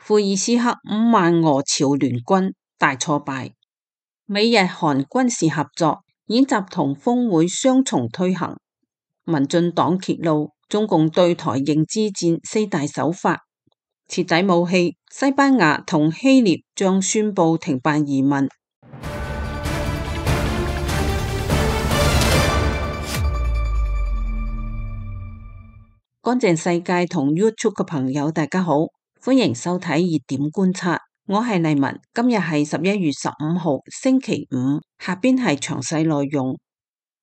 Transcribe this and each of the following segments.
庫爾斯克5萬俄朝聯軍大挫敗。美日韓軍事合作演習同峰會雙重推行。民進黨揭露中共對台認知戰4大手法。徹底武器，西班牙同希臘將宣布停辦移民。乾淨世界同 YouTube 嘅朋友大家好，歡迎收睇熱點觀察，我係麗文。今日係11月15號星期五，下邊係詳細內容。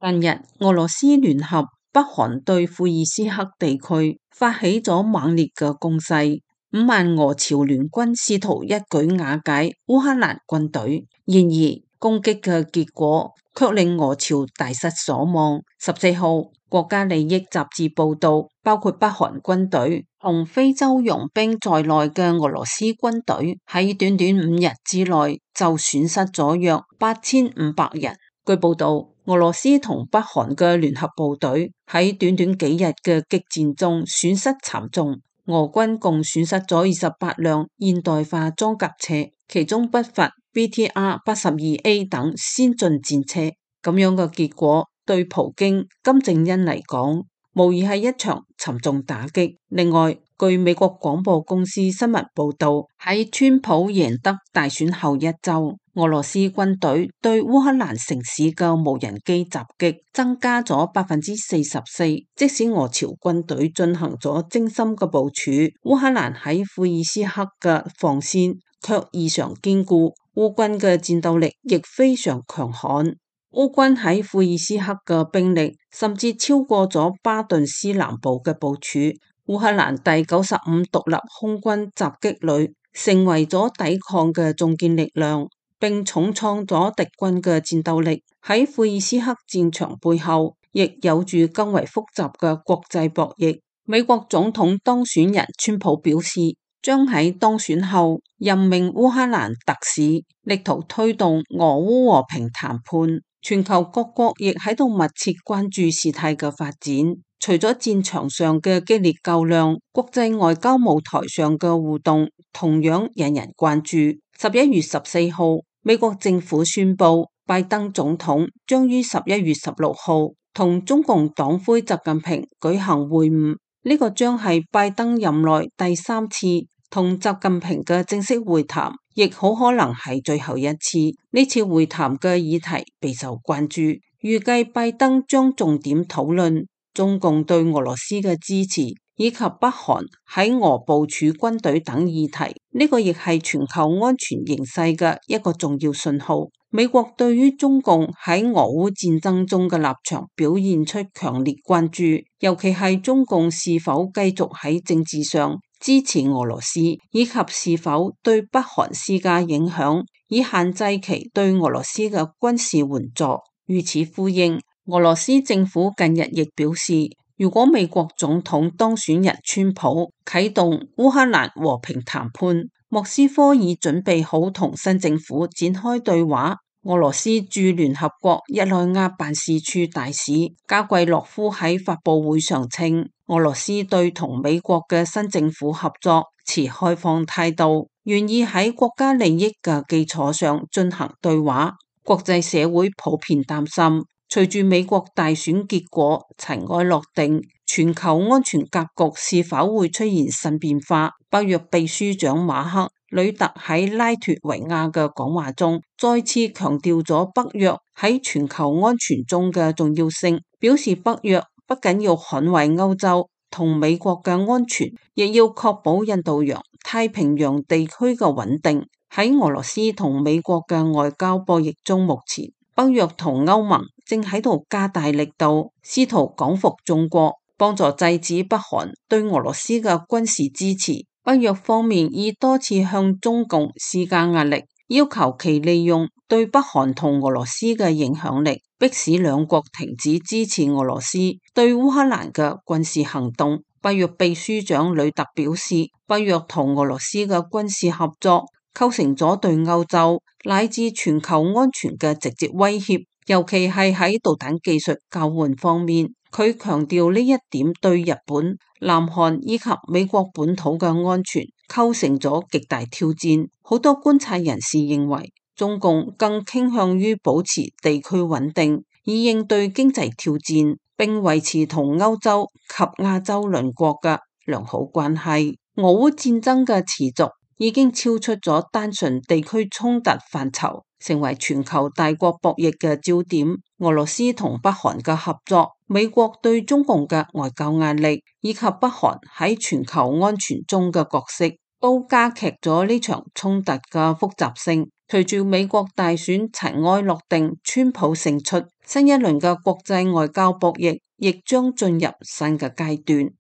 近日俄羅斯聯合北韓對庫爾斯克地區發起咗猛烈嘅攻勢，5萬俄朝聯軍試圖一舉瓦解烏克蘭軍隊，然而攻擊嘅結果卻令俄朝大失所望。14號國家利益雜誌報道，包括北韓軍隊同非洲傭兵在內嘅俄羅斯軍隊喺短短5日之內就損失咗約8500人。據報道，俄羅斯同北韓嘅聯合部隊喺短短幾日嘅激戰中損失慘重，俄軍共損失咗28輛現代化裝甲車，其中不乏 BTR-82A 等先進戰車。咁樣嘅結果對普京、金正恩嚟講，無疑係一場沉重打擊。另外，據美國廣播公司新聞報道，喺川普贏得大選後一周，俄羅斯軍隊對烏克蘭城市嘅無人機襲擊增加咗44%。即使俄朝軍隊進行咗精心嘅部署，烏克蘭喺庫爾斯克嘅防線卻異常堅固，烏軍嘅戰鬥力亦非常強悍。烏軍喺庫爾斯克嘅兵力甚至超過咗巴頓斯南部嘅部署。烏克蘭第95獨立空軍襲擊旅成為咗抵抗嘅中堅力量，並重創咗敵軍嘅戰鬥力。喺庫爾斯克戰場背後，亦有住更為複雜嘅國際博弈。美國總統當選人川普表示，將喺當選後任命烏克蘭特使，力圖推動俄烏和平談判。全球各國亦喺度密切關注事態嘅發展。除咗戰場上嘅激烈較量，國際外交舞台上嘅互動同樣引人關注。11月14號，美國政府宣布，拜登總統將於11月16號同中共黨魁習近平舉行會晤。呢個將係拜登任內第3次同習近平嘅正式會談，亦好可能係最後一次。呢次會談嘅議題備受關注，預計拜登將重點討論中共對俄羅斯嘅支持，以及北韓喺俄部署軍隊等議題。呢個亦係全球安全形勢嘅一個重要信號。美國對於中共喺俄烏戰爭中嘅立場表現出強烈關注，尤其係中共是否繼續喺政治上支持俄羅斯，以及是否對北韓施加影響，以限制其對俄羅斯嘅軍事援助。與此呼應，俄羅斯政府近日亦表示，如果美國總統當選人川普啟動烏克蘭和平談判，莫斯科已準備好同新政府展開對話。俄羅斯駐聯合國日內瓦辦事處大使加季洛夫喺發佈會上稱，俄羅斯對同美國嘅新政府合作持開放態度，願意喺國家利益嘅基礎上進行對話。國際社會普遍擔心，隨住美國大選結果塵埃落定，全球安全格局是否會出現新變化？北約秘書長馬克呂特喺拉脫維亞嘅講話中，再次強調咗北約喺全球安全中嘅重要性，表示北約不僅要捍衛歐洲同美國嘅安全，亦要確保印度洋、太平洋地區嘅穩定。喺俄羅斯同美國嘅外交博弈中，目前北約同歐盟正喺度加大力度，試圖講服中國，幫助制止北韓對俄羅斯嘅軍事支持。北約方面已多次向中共施加壓力，要求其利用對北韓同俄羅斯嘅影響力，迫使兩國停止支持俄羅斯對烏克蘭嘅軍事行動。北約秘書長呂特表示，北約同俄羅斯嘅軍事合作構成咗對歐洲乃至全球安全嘅直接威脅，尤其係喺導彈技術交換方面。佢強調呢一點對日本、南韓以及美國本土嘅安全構成咗極大挑戰。好多觀察人士認為，中共更傾向於保持地區穩定，以應對經濟挑戰，並維持同歐洲及亞洲鄰國嘅良好關係。俄烏戰爭嘅持續已經超出咗單純地區衝突範疇，成為全球大國博弈嘅焦點。俄羅斯同北韓嘅合作，美國對中共嘅外交壓力，以及北韓喺全球安全中嘅角色，都加劇咗呢場衝突嘅複雜性。隨住美國大選塵埃落定，川普勝出，新一輪嘅國際外交博弈亦將進入新嘅階段。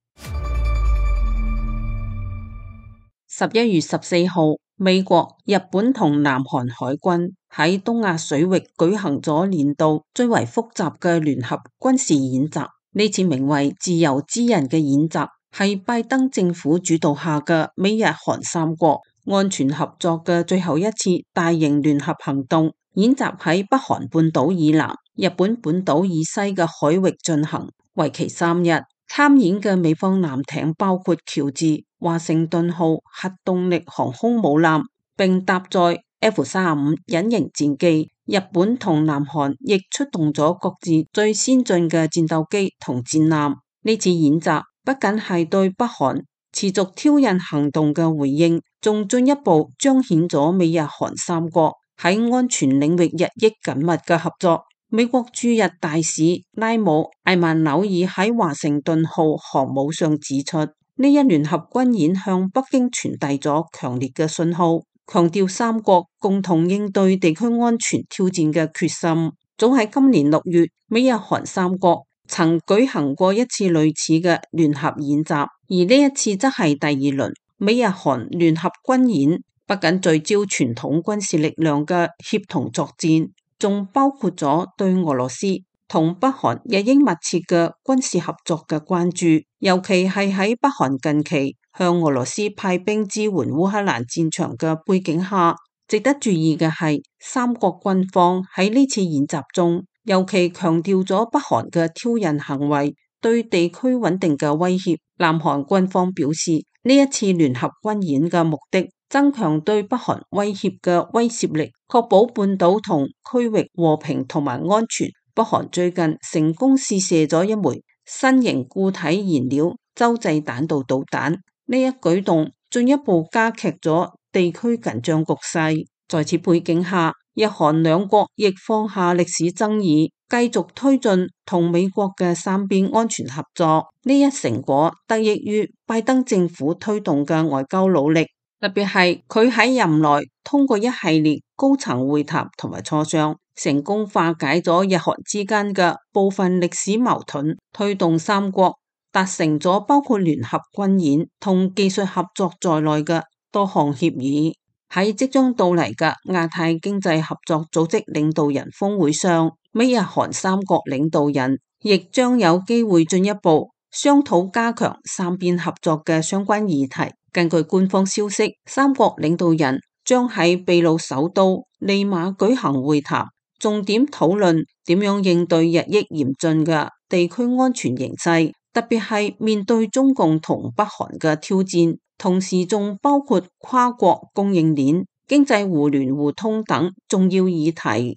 11月14號，美國、日本同南韓海軍喺東亞水域舉行咗年度最為複雜嘅聯合軍事演習。呢次名為自由之刃嘅演習，係拜登政府主導下嘅美日韓三國安全合作嘅最後一次大型聯合行動。演習喺北韓半島以南、日本本島以西嘅海域進行，為期3日。參演嘅美方艦艇包括喬治、華盛頓號核動力航空母艦，並搭載 F-35隱形戰機。日本同南韓亦出動咗各自最先進嘅戰鬥機同戰艦。呢次演習不僅係對北韓持續挑釁行動嘅回應，仲進一步彰顯咗美日韓三國喺安全領域日益緊密嘅合作。美國駐日大使拉姆艾曼紐爾喺華盛頓號航母上指出，呢一聯合軍演向北京傳遞咗強烈嘅信號，強調三國共同應對地區安全挑戰嘅決心。早喺今年6月，美日韓三國曾舉行過一次類似嘅聯合演習，而呢一次則係第2輪美日韓聯合軍演，不僅聚焦傳統軍事力量嘅協同作戰，仲包括咗對俄羅斯同北韓日益密切嘅軍事合作嘅關注，尤其係喺北韓近期向俄羅斯派兵支援烏克蘭戰場嘅背景下。值得注意嘅係，三國軍方喺呢次演習中，尤其強調咗北韓嘅挑釁行為對地區穩定嘅威脅。南韓軍方表示，呢一次聯合軍演嘅目的，增強對北韓威脅嘅威懾力，確保半島同區域和平同埋安全。北韓最近成功試射咗一枚新型固體燃料洲際彈道導彈，呢一舉動進一步加劇咗地區緊張局勢。在此背景下，日韓兩國亦放下歷史爭議，繼續推進同美國嘅三邊安全合作。呢一成果得益於拜登政府推動嘅外交努力，特別係佢喺任內通過一系列高層會談同埋磋商，成功化解咗日韓之間嘅部分歷史矛盾，推動三國達成咗包括聯合軍演同技術合作在內嘅多項協議。喺即將到嚟嘅亞太經濟合作組織領導人峰會上，美日韓三國領導人亦將有機會進一步商討加強三邊合作嘅相關議題。根據官方消息，三國領導人將喺秘魯首都利馬舉行會談，重點討論點樣應對日益嚴峻嘅地區安全形勢，特別係面對中共同北韓嘅挑戰，同時仲包括跨國供應鏈、經濟互聯互通等重要議題。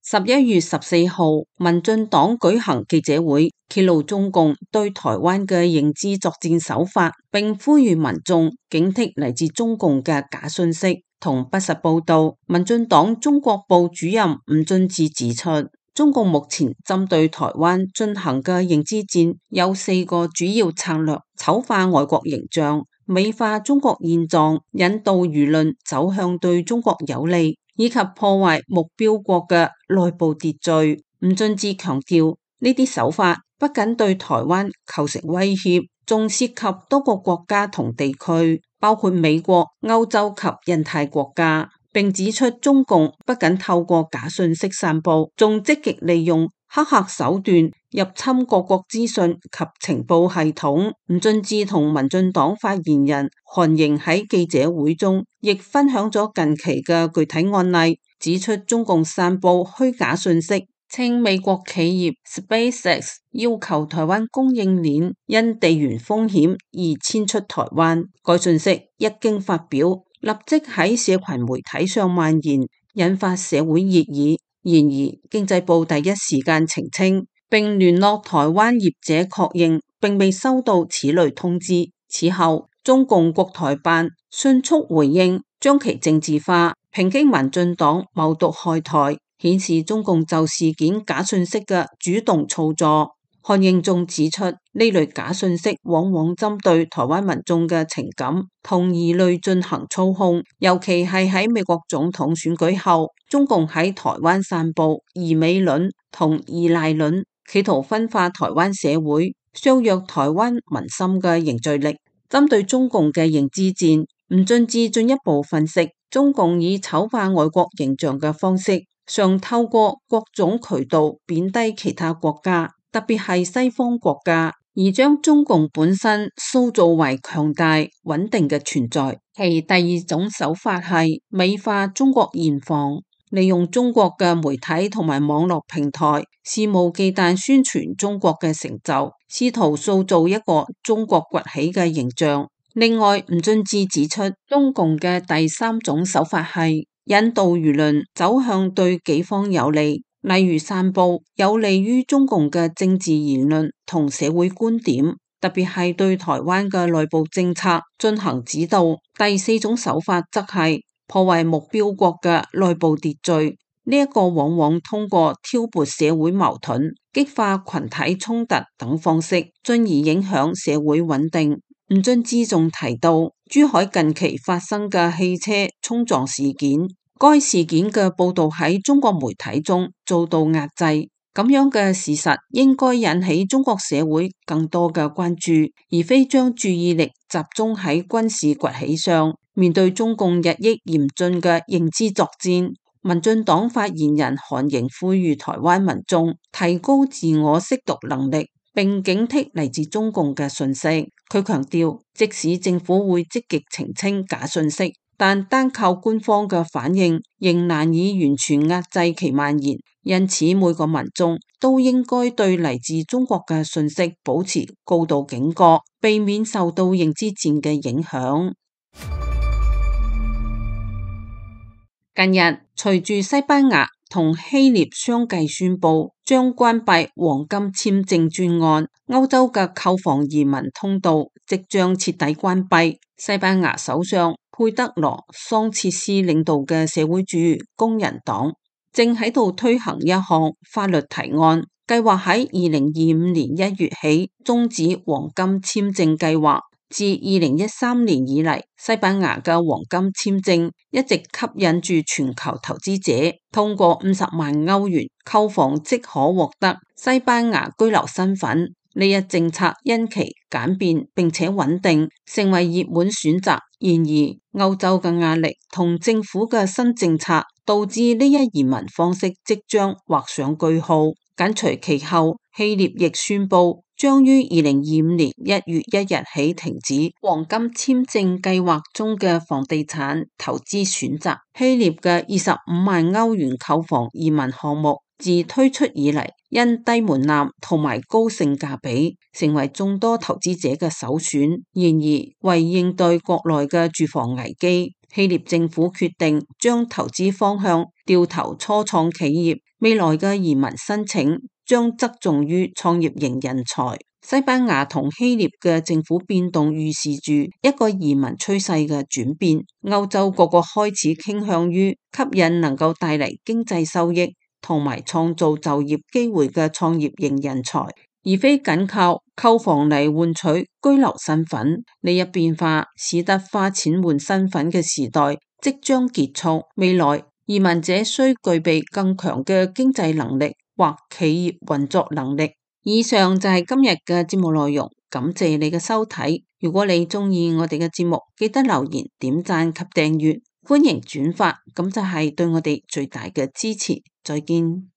11月14號，民進黨舉行記者會，揭露中共對台灣嘅認知作戰手法，並呼籲民眾警惕嚟自中共嘅假訊息同不實報道。民進黨中國部主任吳俊智指出，中共目前針對台灣進行嘅認知戰有4個主要策略：醜化外國形象、美化中國現狀、引導輿論走向對中國有利，以及破壞目標國嘅內部秩序。吳俊智強調，呢啲手法不僅對台灣構成威脅，仲涉及多個國家同地區，包括美國、歐洲及印太國家。並指出，中共不僅透過假訊息散布，仲積極利用黑客手段入侵各國資訊及情報系統。吳俊智同民進黨發言人韓瑩喺記者會中亦分享咗近期嘅具體案例，指出中共散布虛假訊息，稱美國企業 SpaceX 要求台灣供應鏈因地緣風險而遷出台灣。該訊息一經發表，立即喺社群媒體上蔓延，引發社會熱議。然而，經濟部第一時間澄清，並聯絡台灣業者確認，並未收到此類通知。此後，中共國台辦迅速回應，將其政治化，抨擊民進黨謀獨害台，顯示中共就事件假訊息嘅主動操作。韓英仲指出，呢類假訊息往往針對台灣民眾嘅情感同疑慮進行操控，尤其係喺美國總統選舉後，中共喺台灣散布疑美論同依賴論，企圖分化台灣社會，削弱台灣民心嘅凝聚力。針對中共嘅認知戰，吳俊智進一步分析，中共以醜化外國形象嘅方式，常透過各種渠道貶低其他國家，特別係西方國家，而將中共本身塑造為強大穩定嘅存在。其第二種手法係美化中國現況，利用中國嘅媒體同埋網絡平台，肆無忌憚宣傳中國嘅成就，試圖塑造一個中國崛起嘅形象。另外，吳俊智指出，中共嘅第三種手法係引導輿論走向對己方有利，例如散布有利於中共嘅政治言論同社會觀點，特別係對台灣嘅內部政策進行指導。第四種手法則係破壞目標國嘅內部秩序，呢一個往往通過挑撥社會矛盾、激化群體衝突等方式，進而影響社會穩定。吳俊智仲提到，珠海近期發生嘅汽車衝撞事件，該事件嘅報道喺中國媒體中遭到壓制，咁樣嘅事實應該引起中國社會更多嘅關注，而非將注意力集中喺軍事崛起上。面對中共日益嚴峻嘅認知作戰，民進黨發言人韓盈呼籲台灣民眾提高自我識讀能力，並警惕嚟自中共嘅訊息。佢強調，即使政府會積極澄清假訊息，但單靠官方嘅反應仍難以完全壓制其蔓延。因此，每個民眾都應該對嚟自中國嘅訊息保持高度警覺，避免受到認知戰嘅影響。近日，隨住西班牙同希臘相繼宣布將關閉黃金簽證專案，歐洲嘅購房移民通道即將徹底關閉。西班牙首相佩德羅桑切斯領導嘅社會主義工人黨正喺度推行一項法律提案，計劃喺2025年1月起終止黃金簽證計劃。自2013年以嚟，西班牙嘅黃金簽證一直吸引住全球投資者，通過50萬歐元購房即可獲得西班牙居留身份。呢一政策因其簡便並且穩定，成為熱門選擇。然而，歐洲嘅壓力同政府嘅新政策，導致呢一移民方式即將畫上句號。緊隨其後，希臘亦宣布將於2025年1月1日起停止黃金簽證計劃中嘅房地產投資選擇。希臘嘅25萬歐元購房移民項目自推出以嚟，因低門檻同埋高性價比，成為眾多投資者嘅首選。然而，為應對國內嘅住房危機，希臘政府決定將投資方向調投初創企業，未來嘅移民申請將側重於創業型人才。西班牙同希臘嘅政府變動預示住一個移民趨勢嘅轉變。歐洲各國開始傾向於吸引能夠帶嚟經濟收益同埋創造就業機會嘅創業型人才，而非僅靠購房嚟換取居留身份。呢一變化使得花錢換身份嘅時代即將結束。未來移民者需具備更強嘅經濟能力或企業運作能力。以上就係今日嘅節目內容，感謝你嘅收睇。如果你中意我哋嘅節目，記得留言、點讚及訂閱，歡迎轉發，咁就係對我哋最大嘅支持。再見。